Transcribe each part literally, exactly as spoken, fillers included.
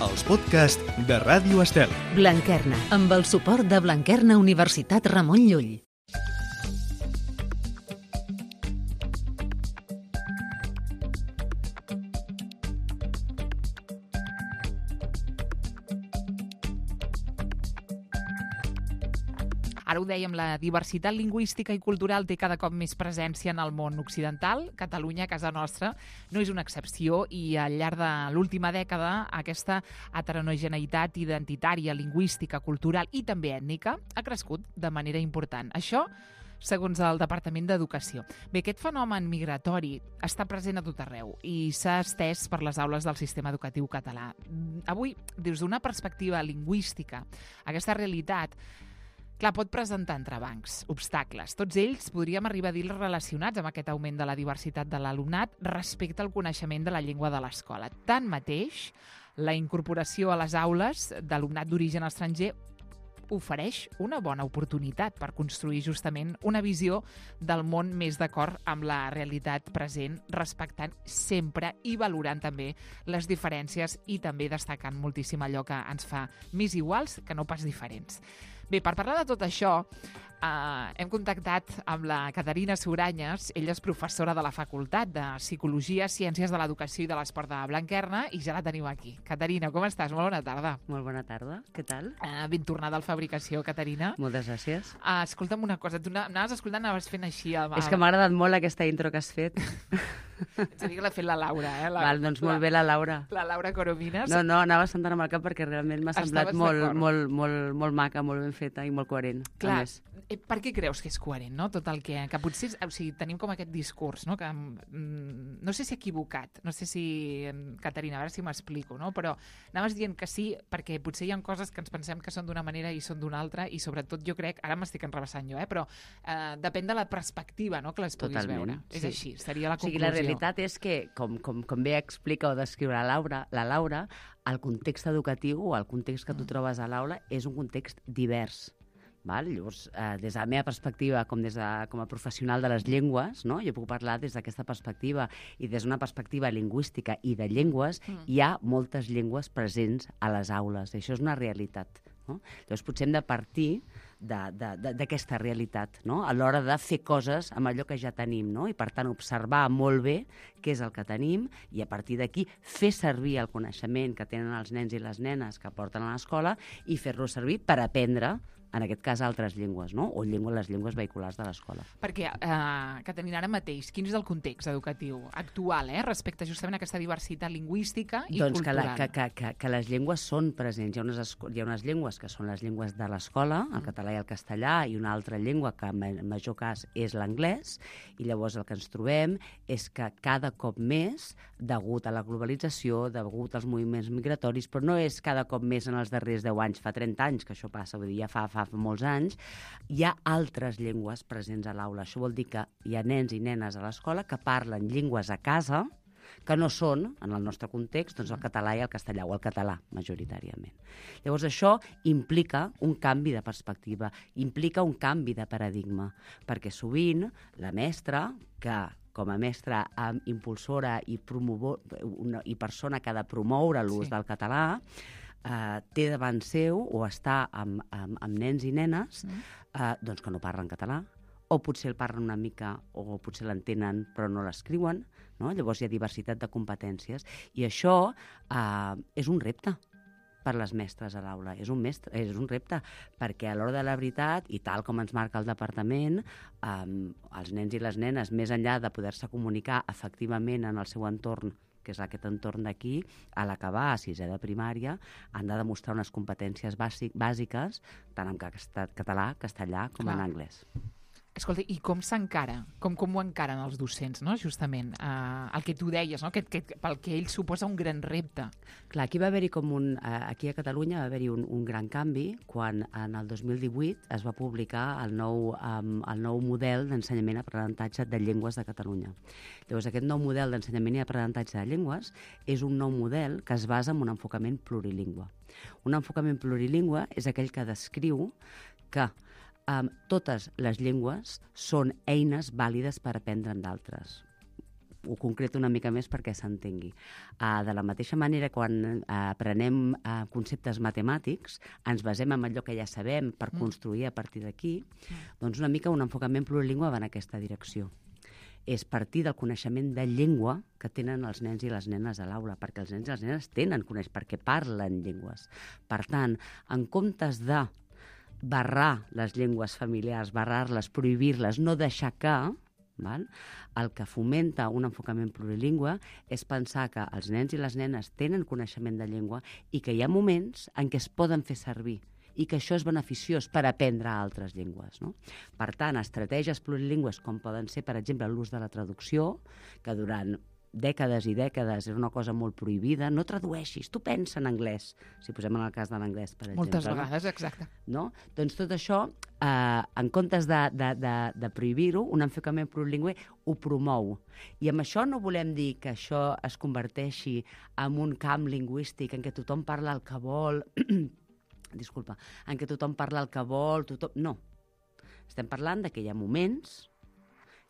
els podcasts de Ràdio Estel. Blanquerna, amb el suport de Blanquerna Universitat Ramon Llull. Ara ho dèiem, la diversitat lingüística i cultural té cada cop més presència en el món occidental. Catalunya, casa nostra, no és una excepció i al llarg de l'última dècada aquesta heterogeneïtat identitària, lingüística, cultural i també ètnica ha crescut de manera important. Això segons el Departament d'Educació. Bé, aquest fenomen migratori està present a tot arreu i s'ha estès per les aules del sistema educatiu català. Avui, des d'una perspectiva lingüística, aquesta realitat clar, pot presentar entrebancs, obstacles. Tots ells podríem arribar a dir relacionats amb aquest augment de la diversitat de l'alumnat respecte al coneixement de la llengua de l'escola. Tanmateix, la incorporació a les aules d'alumnat d'origen estranger ofereix una bona oportunitat per construir justament una visió del món més d'acord amb la realitat present, respectant sempre i valorant també les diferències i també destacant moltíssim allò que ens fa més iguals que no pas diferents. Bé, per parlar de tot això, eh, hem contactat amb la Caterina Suranyes. Ella és professora de la Facultat de Psicologia, Ciències de l'Educació i de l'Esport de Blanquerna i ja la tenim aquí. Caterina, com estàs? Molt bona tarda. Molt bona tarda, què tal? Eh, ben tornada al Fabricació, Caterina. Moltes gràcies. Uh, escolta'm una cosa, tu anaves escoltant, anaves fent així... El, el... És que m'ha agradat molt aquesta intro que has fet. Ets a dir que l'ha fet la Laura, eh? La, Val, doncs molt bé la Laura. La Laura Coromines. No, no, anava sentant amb el cap perquè realment m'ha semblat molt, molt, molt, molt maca, molt ben feta i molt coherent. Clar, per què creus que és coherent, no? Tot el que... Que potser, o sigui, tenim com aquest discurs, no? Que, mm, no sé si equivocat, no sé si... Caterina, a veure si m'explico, no? Però anaves dient que sí, perquè potser hi ha coses que ens pensem que són d'una manera i són d'una altra, i sobretot jo crec, ara m'estic enrebaçant jo, eh? Però eh, depèn de la perspectiva, no?, que les puguis Totalment, veure. sí. És així, seria la conclusió. O sigui, la realitat és que, com, com, com bé explica o descriu la Laura, la Laura, el context educatiu o el context que tu trobes a l'aula és un context divers. Val? Llavors, eh, des de la meva perspectiva, com, des de, com a professional de les llengües, no? Jo puc parlar des d'aquesta perspectiva i des d'una perspectiva lingüística i de llengües, mm. hi ha moltes llengües presents a les aules. Això és una realitat. No? Llavors, potser hem de partir d'aquesta realitat, no? A l'hora de fer coses amb allò que ja tenim, no? I, per tant, observar molt bé què és el que tenim i, a partir d'aquí, fer servir el coneixement que tenen els nens i les nenes que porten a l'escola i fer-lo servir per aprendre, en aquest cas, altres llengües, no? O llengües, les llengües vehiculars de l'escola. Perquè, eh, Caterina, ara mateix, quin és el context educatiu actual, eh, respecte justament a aquesta diversitat lingüística i doncs cultural? Doncs que, que, que, que les llengües són presents. Hi ha unes, hi ha unes llengües que són les llengües de l'escola, el català i el castellà, i una altra llengua que en major cas és l'anglès, i llavors el que ens trobem és que cada cop més, degut a la globalització, degut als moviments migratoris, però no és cada cop més en els darrers deu anys, fa trenta anys que això passa, vull dir, ja fa, fa fa molts anys, hi ha altres llengües presents a l'aula. Això vol dir que hi ha nens i nenes a l'escola que parlen llengües a casa que no són, en el nostre context, doncs el català i el castellà, o el català, majoritàriament. Llavors, això implica un canvi de perspectiva, implica un canvi de paradigma, perquè sovint la mestra, que com a mestra impulsora i, promovo, una, i persona que ha de promoure l'ús sí. del català, Uh, té davant seu o està amb, amb, amb nens i nenes mm. uh, doncs que no parlen català, o potser el parlen una mica o potser l'entenen però no l'escriuen, no? Llavors hi ha diversitat de competències i això uh, és un repte per les mestres a l'aula, és un, mestre, és un repte, perquè a l'hora de la veritat, i tal com ens marca el departament, um, els nens i les nenes, més enllà de poder-se comunicar efectivament en el seu entorn, que és aquest entorn d'aquí, a l'acabar a sisè de primària, han de demostrar unes competències bàsic, bàsiques, tant en català, castellà, com Clar. En anglès. Escolta, i com s'encara? Com, com ho encaren els docents, no? Justament, eh, el que tu deies, no? que, que, pel que ell suposa un gran repte. Clar, aquí va haver-hi com un... Eh, aquí a Catalunya va haver-hi un, un gran canvi quan en el dos mil divuit es va publicar el nou, um, el nou model d'ensenyament i aprenentatge de llengües de Catalunya. Llavors, aquest nou model d'ensenyament i aprenentatge de llengües és un nou model que es basa en un enfocament plurilingüe. Un enfocament plurilingüe és aquell que descriu que Um, totes les llengües són eines vàlides per aprendre en d'altres. ho concreto una mica més perquè s'entengui. Uh, de la mateixa manera, quan uh, aprenem uh, conceptes matemàtics, ens basem en allò que ja sabem per mm. construir a partir d'aquí, mm. doncs una mica un enfocament plurilingüe va en aquesta direcció. És partir del coneixement de llengua que tenen els nens i les nenes a l'aula, perquè els nens i les nenes tenen coneix, perquè parlen llengües. Per tant, en comptes de barrar les llengües familiars, barrar-les, prohibir-les, no deixar que, val? El que fomenta un enfocament plurilingüe és pensar que els nens i les nenes tenen coneixement de llengua i que hi ha moments en què es poden fer servir i que això és beneficiós per aprendre altres llengües. No? Per tant, estratègies plurilingües com poden ser, per exemple, l'ús de la traducció, que durant dècades i dècades era una cosa molt prohibida. No tradueixis, tu pensa en anglès, si posem en el cas de l'anglès, per exemple. Moltes vegades, no? Exacte. No? Doncs tot això, eh, en comptes de, de, de, de prohibir-ho, un enfocament plurilingüe ho promou. I amb això no volem dir que això es converteixi en un camp lingüístic en què tothom parla el que vol... disculpa, en què tothom parla el que vol, tothom... No. Estem parlant de que hi ha moments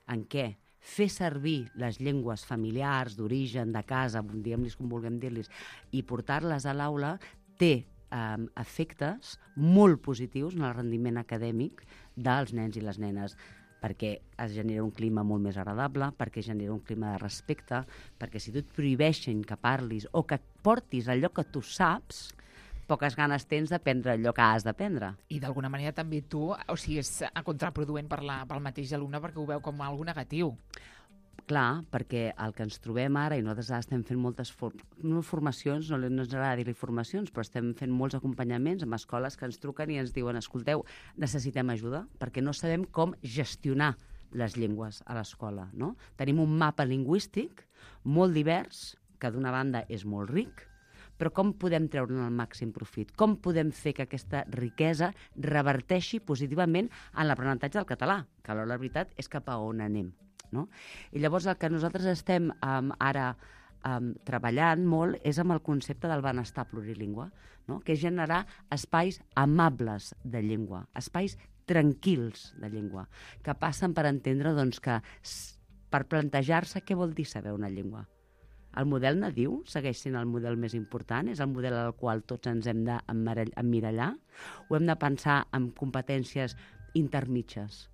en què fer servir les llengües familiars, d'origen, de casa, diguem-los com vulguem dir-los, i portar-les a l'aula té eh, efectes molt positius en el rendiment acadèmic dels nens i les nenes, perquè es genera un clima molt més agradable, perquè genera un clima de respecte, perquè si tu et prohibeixen que parlis o que portis allò que tu saps, poques ganes tens d'aprendre allò que has d'aprendre. I d'alguna manera també tu, o sigui, és contraproduent per la, pel mateix alumne perquè ho veu com algo negatiu. Clar, perquè el que ens trobem ara, i nosaltres estem fent moltes for no formacions, no, no ens agrada dir-li formacions, però estem fent molts acompanyaments amb escoles que ens truquen i ens diuen, escolteu, necessitem ajuda, perquè no sabem com gestionar les llengües a l'escola. No? Tenim un mapa lingüístic molt divers, que d'una banda és molt ric, però com podem treure'n el màxim profit? Com podem fer que aquesta riquesa reverteixi positivament en l'aprenentatge del català? Que alhora la veritat és cap a on anem. No? I llavors el que nosaltres estem um, ara um, treballant molt és amb el concepte del benestar plurilingüe, no? Que és generar espais amables de llengua, espais tranquils de llengua, que passen per entendre doncs, que per plantejar-se què vol dir saber una llengua. El model nadiu segueix sent el model més important, és el model al qual tots ens hem d'emmirallar, o hem de pensar en competències intermitges.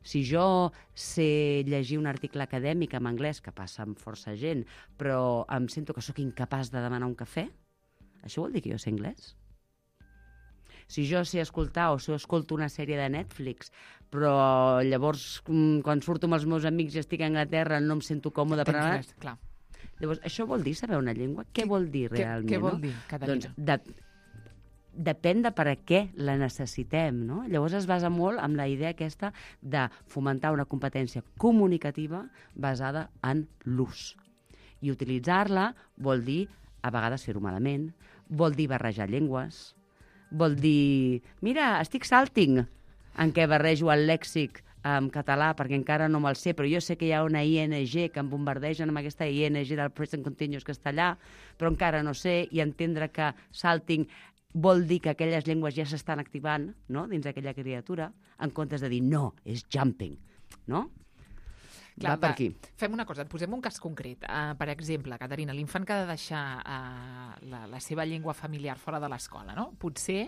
Si jo sé llegir un article acadèmic en anglès, que passa amb força gent, però em sento que sóc incapaç de demanar un cafè, això vol dir que jo sé anglès? Si jo sé escoltar o si escolto una sèrie de Netflix, però llavors quan surto amb els meus amics i estic a Anglaterra no em sento còmode per anar... Clar. Llavors, això vol dir saber una llengua? Què vol dir realment? Què, què vol no? dir, Caterina? Doncs de, depèn de per a què la necessitem, no? Llavors es basa molt en la idea aquesta de fomentar una competència comunicativa basada en l'ús. I utilitzar-la vol dir, a vegades, fer-ho malament, vol dir barrejar llengües, vol dir, mira, estic salting, en què barrejo el lèxic en català, perquè encara no me'l sé, però jo sé que hi ha una I N G que em bombardegen amb aquesta I N G del present continuous que està allà, però encara no sé, i entendre que salting vol dir que aquelles llengües ja s'estan activant, no?, dins d'aquella criatura, en comptes de dir no, és jumping, no? Clar, va per aquí. Fem una cosa, et posem un cas concret. Uh, per exemple, Caterina, l'infant que ha de deixar uh, la, la seva llengua familiar fora de l'escola, no? Potser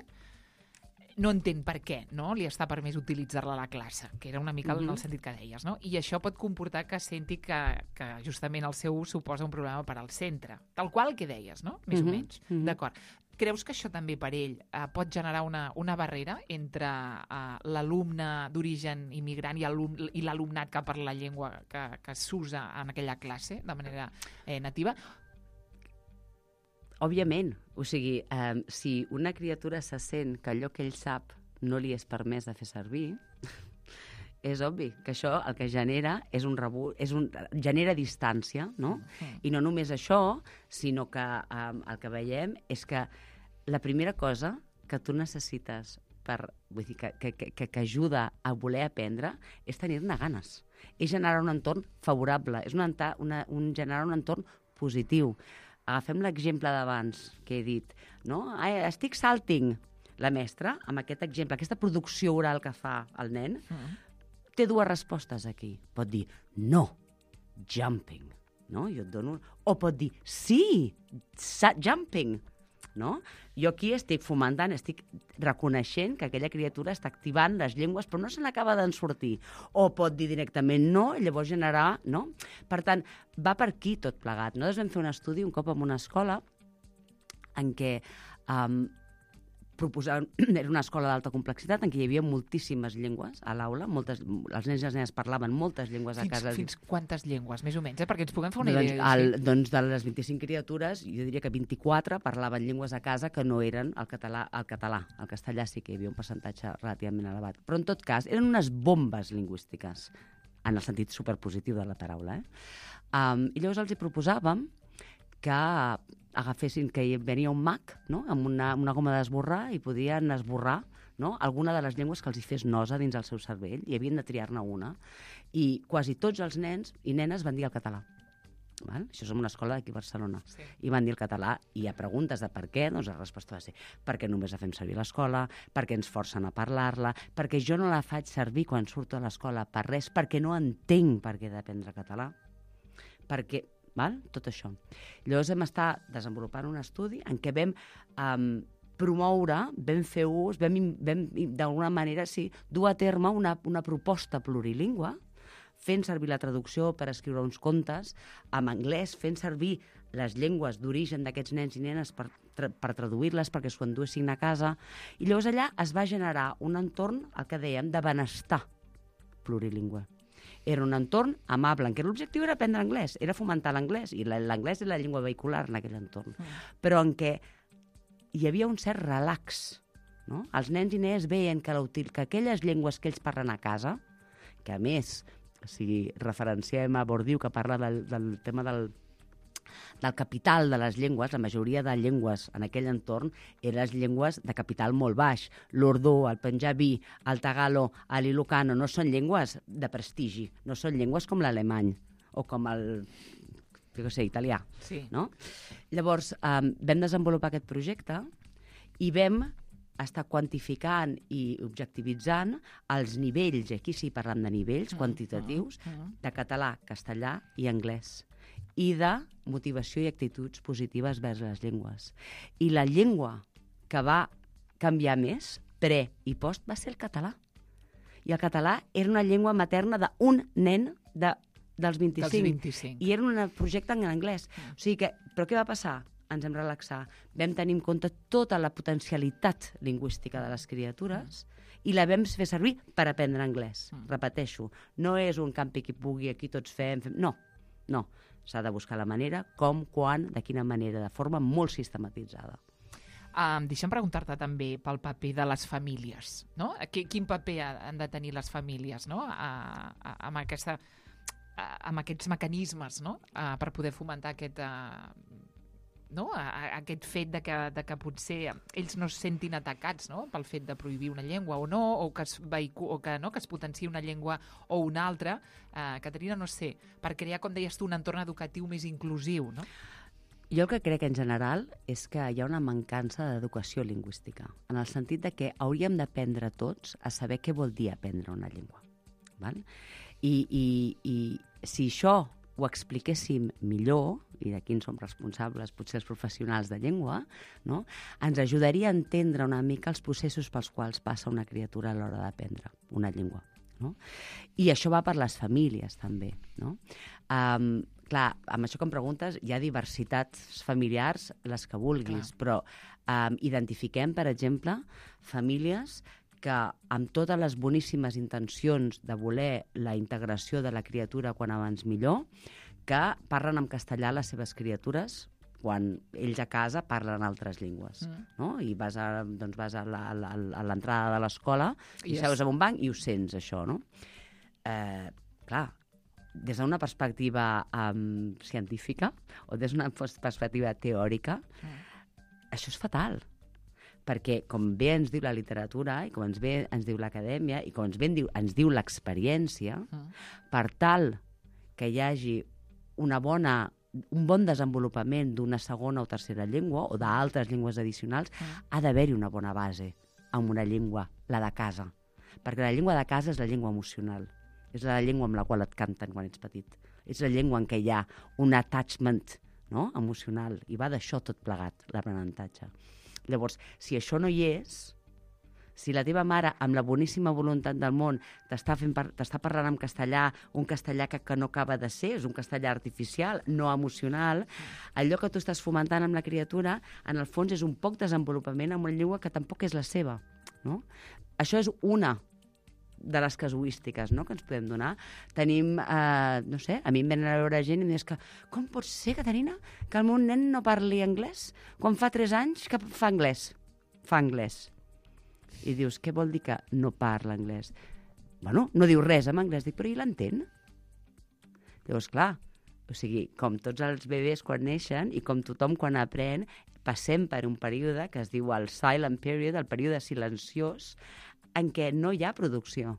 no entén per què, no? Li està permès utilitzar-la a la classe, que era una mica uh-huh. en el sentit que deies, no? I això pot comportar que senti que, que justament el seu ús suposa un problema per al centre. Tal qual que deies, no? Més uh-huh. o menys. Uh-huh. D'acord. Creus que això també per ell eh, pot generar una, una barrera entre eh, l'alumne d'origen immigrant i, i l'alumnat que parla la llengua que, que s'usa en aquella classe de manera eh, nativa? Òbviament, o sigui, eh, si una criatura se sent que allò que ell sap no li és permès de fer servir, és obvi que això el que genera és un rebu... és un... genera distància, no? Mm. I no només això, sinó que eh, el que veiem és que la primera cosa que tu necessites per, vull dir, que, que, que, que ajuda a voler aprendre és tenir-ne ganes. És generar un entorn favorable, és una, una, un, generar un entorn positiu. Agafem l'exemple d'abans que he dit, no? Estic salting. La mestra, amb aquest exemple, aquesta producció oral que fa el nen, mm. té dues respostes aquí. Pot dir, no, jumping. no? Jo et dono... O pot dir, sí, jumping, no? Jo aquí estic fomentant, estic reconeixent que aquella criatura està activant les llengües, però no se n'acaba d'en sortir. O pot dir directament no, i llavors generar... No? Per tant, va per aquí tot plegat. Nosaltres vam fer un estudi un cop en una escola en què um, proposaven, era una escola d'alta complexitat en què hi havia moltíssimes llengües a l'aula, moltes, els nens i les nenes parlaven moltes llengües a fins, casa. Fins quantes llengües, més o menys, eh? Perquè ens puguem fer una doncs, idea. El, sí. doncs de les vint-i-cinc criatures, jo diria que vint-i-quatre parlaven llengües a casa que no eren el català. El català, el castellà sí que hi havia un percentatge relativament elevat. Però en tot cas, eren unes bombes lingüístiques, en el sentit superpositiu de la paraula. Eh? Um, I llavors els hi proposàvem que agafessin, que hi venia un mag, no?, amb una, una goma d'esborrar i podien esborrar, no?, alguna de les llengües que els hi fes nosa dins el seu cervell i havien de triar-ne una. I quasi tots els nens i nenes van dir el català. Val? Això és una escola d'aquí a Barcelona. Sí. I van dir el català, i a preguntes de per què, doncs la resposta va ser perquè només la fem servir a l'escola, perquè ens forcen a parlar-la, perquè jo no la faig servir quan surto a l'escola per res, perquè no entenc per què he d'aprendre català, perquè... Val? Tot això. Llavors vam estar desenvolupant un estudi en què vam um, promoure, vam fer ús, vam, vam d'alguna manera sí, dur a terme una, una proposta plurilingüe, fent servir la traducció per escriure uns contes en anglès, fent servir les llengües d'origen d'aquests nens i nenes per, tra per traduir-les, perquè s'ho enduessin a casa. I llavors allà es va generar un entorn, el que dèiem, de benestar plurilingüe. Era un entorn amable, en què l'objectiu era aprendre anglès, era fomentar l'anglès, i l'anglès és la llengua vehicular en aquell entorn, mm. però en què hi havia un cert relax. No? Els nens i nenes veien que, que aquelles llengües que ells parlen a casa, que a més, si referenciem a Bourdieu, que parla del, del tema del, del capital de les llengües, la majoria de llengües en aquell entorn eren les llengües de capital molt baix. L'urdú, el panjabí, el tagalo, l'ilocano, no són llengües de prestigi, no són llengües com l'alemany o com el, jo què sé, italià. Sí. No? Llavors, eh, vam desenvolupar aquest projecte i vam estar quantificant i objectivitzant els nivells, aquí sí parlem de nivells mm, quantitatius, mm, de català, castellà i anglès, i de motivació i actituds positives vers les llengües. I la llengua que va canviar més, pre i post, va ser el català. I el català era una llengua materna d'un nen de, dels vint-i-cinc. Dels vint-i-cinc. I era un projecte en anglès. O sigui que, però què va passar? Ens vam relaxar. Vam tenir en compte tota la potencialitat lingüística de les criatures i la vam fer servir per aprendre anglès. Mm. Repeteixo, no és un campi qui pugui, aquí tots fem... fem... No, no. S'ha de buscar la manera, com, quan, de quina manera, de forma molt sistematitzada. Um, deixa'm preguntar-te també pel paper de les famílies, no? Quin paper han de tenir les famílies, no?, a, a, amb, aquesta, a, amb aquests mecanismes, no?, a, per poder fomentar aquest... A, no? A, a, aquest fet de que, de que potser ells no es sentin atacats, no?, pel fet de prohibir una llengua o no, o que es, vehicu o que, no? que es potenciï una llengua o una altra. Eh, Caterina, no sé, per crear, com deies tu, un entorn educatiu més inclusiu, no? Jo el que crec en general és que hi ha una mancança d'educació lingüística, en el sentit de que hauríem d'aprendre tots a saber què vol dir aprendre una llengua. Val? I, i, i si això ho expliquéssim millor, i de qui en som responsables, potser els professionals de llengua, no?, ens ajudaria a entendre una mica els processos pels quals passa una criatura a l'hora d'aprendre una llengua. No? I això va per les famílies, també. No? Um, clar, amb això que em preguntes, hi ha diversitats familiars, les que vulguis, clar. Però um, identifiquem, per exemple, famílies que amb totes les boníssimes intencions de voler la integració de la criatura quan abans millor, que parlen en castellà les seves criatures quan ells a casa parlen altres llengües. Mm. No? I vas a, doncs vas a l'entrada de l'escola i yes. seus en un banc i ho sents, això. No? Eh, clar, des d'una perspectiva um, científica o des d'una perspectiva teòrica, mm. això és fatal. Perquè, com bé ens diu la literatura, i com ens bé ens diu l'acadèmia, i com ens bé ens diu, ens diu l'experiència, mm. per tal que hi hagi una bona, un bon desenvolupament d'una segona o tercera llengua, o d'altres llengües addicionals, mm. ha d'haver-hi una bona base amb una llengua, la de casa. Perquè la llengua de casa és la llengua emocional. És la llengua amb la qual et canten quan ets petit. és la llengua en què hi ha un attachment, no?, emocional, i va d'això tot plegat, l'aprenentatge. Llavors, si això no hi és, si la teva mare, amb la boníssima voluntat del món, t'està fent par t'està parlant en castellà, un castellà que, que no acaba de ser, és un castellà artificial, no emocional, allò que tu estàs fomentant amb la criatura, en el fons és un poc desenvolupament en una llengua que tampoc és la seva, no? Això és una de les casuístiques, no?, que ens podem donar. Tenim, eh, no sé, a mi em venen a veure gent i em dius que com pot ser, Caterina, que el meu nen no parli anglès quan fa tres anys que fa anglès? Fa anglès. I dius, què vol dir que no parla anglès? Bueno, no diu res en anglès, dic, però i l'entén? Llavors, clar, o sigui, com tots els bebès quan neixen i com tothom quan aprèn, passem per un període que es diu el silent period, el període silenciós, en què no hi ha producció.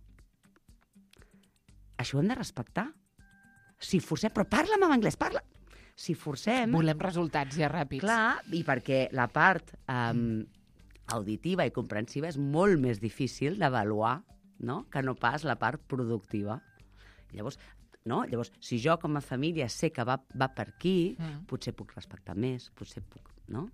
Això ho hem de respectar. Si forcem, però parla'm en anglès, parla! Si forcem... Volem resultats ja ràpids. Clar, i perquè la part um, auditiva i comprensiva és molt més difícil d'avaluar, no?, que no pas la part productiva. Llavors, no? Llavors, si jo com a família sé que va, va per aquí, mm. potser puc respectar més, potser puc... No?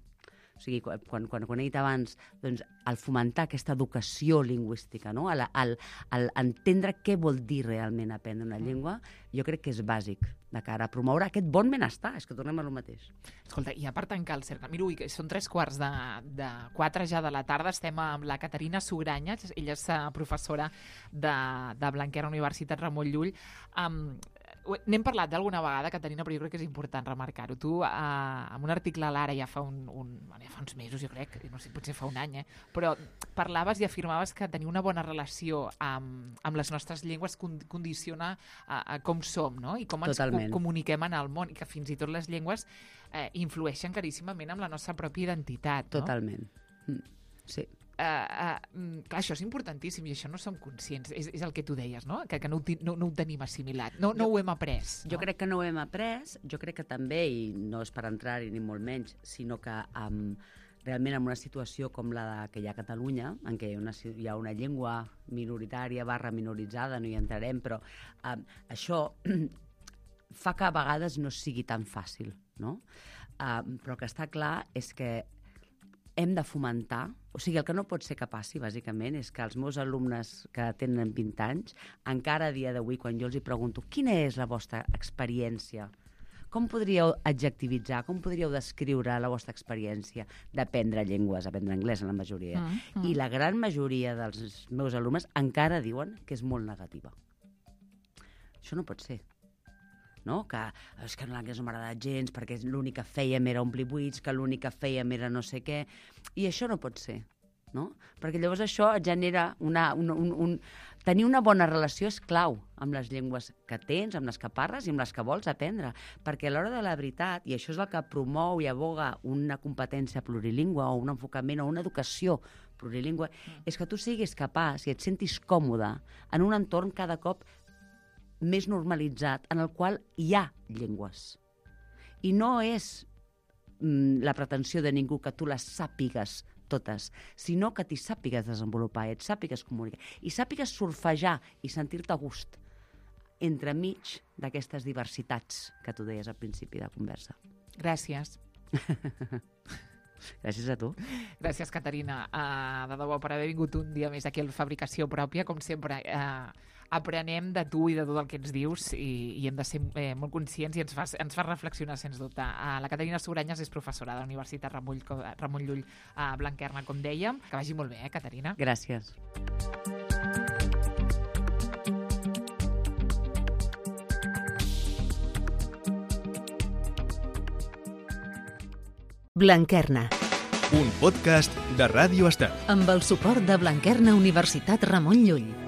O sigui, quan, quan, quan he dit abans, doncs, el fomentar aquesta educació lingüística, no?, el, el, el entendre què vol dir realment aprendre una llengua, jo crec que és bàsic de cara a promoure aquest bon benestar. És que tornem a lo mateix. Escolta, i a part tancar el cercle, mira, ui, són tres quarts de, de quatre ja de la tarda, estem amb la Caterina Sugranya, ella és professora de, de Blanquerna, Universitat Ramon Llull. Um, N'hem parlat d'alguna vegada, Caterina, però jo crec que és important remarcar-ho. Tu, eh, en un article a l'Ara ja fa, un, un, ja fa uns mesos, jo crec, no sé, potser fa un any, eh, però parlaves i afirmaves que tenir una bona relació amb, amb les nostres llengües condiciona a, a com som, no?, i com ens co comuniquem en el món, i que fins i tot les llengües eh, influeixen claríssimament amb la nostra pròpia identitat. No? Totalment. Mm. Sí. Uh, uh, clar, això és importantíssim i això no som conscients, és, és el que tu deies, no?, que, que no, ho no, no ho tenim assimilat, no, no jo, ho hem après. No? Jo crec que no ho hem après, jo crec que també, i no és per entrar-hi ni molt menys, sinó que um, realment en una situació com la de, que hi ha a Catalunya, en què hi ha una, hi ha una llengua minoritària barra minoritzada, no hi entrarem, però um, això fa que a vegades no sigui tan fàcil, no? Um, però el que està clar és que hem de fomentar, o sigui, el que no pot ser que passi, bàsicament, és que els meus alumnes que tenen vint anys, encara a dia d'avui, quan jo els hi pregunto quina és la vostra experiència, com podríeu adjectivitzar, com podríeu descriure la vostra experiència d'aprendre llengües, aprendre anglès en la majoria, mm, mm. i la gran majoria dels meus alumnes encara diuen que és molt negativa. Això no pot ser. No? Que és que l'anglès no m'ha agradat gens perquè l'únic que fèiem era omplir buits, que l'únic que fèiem era no sé què, i això no pot ser, no? Perquè llavors això genera una, un, un, un... tenir una bona relació és clau amb les llengües que tens, amb les que parles i amb les que vols aprendre, perquè a l'hora de la veritat, i això és el que promou i aboga una competència plurilingüe o un enfocament o una educació plurilingüe, mm. és que tu siguis capaç i et sentis còmode en un entorn cada cop més normalitzat, en el qual hi ha llengües. I no és mm, la pretensió de ningú que tu les sàpigues totes, sinó que t'hi sàpigues desenvolupar, et sàpigues comunicar, i sàpigues surfejar i sentir-te a gust entremig d'aquestes diversitats que tu deies al principi de conversa. Gràcies. Gràcies a tu. Gràcies, Caterina, uh, de debò, per haver vingut un dia més aquí a Fabricació Pròpia. Com sempre, uh, aprenem de tu i de tot el que ens dius i, i hem de ser eh, molt conscients i ens fa, ens fa reflexionar, sens dubte. Uh, la Caterina Sugranyes és professora de la Universitat Ramon, Ramon Llull a uh, Blanquerna, com dèiem. Que vagi molt bé, eh, Caterina? Gràcies. Blanquerna. Un podcast de Ràdio Estel. Amb el suport de Blanquerna Universitat Ramon Llull.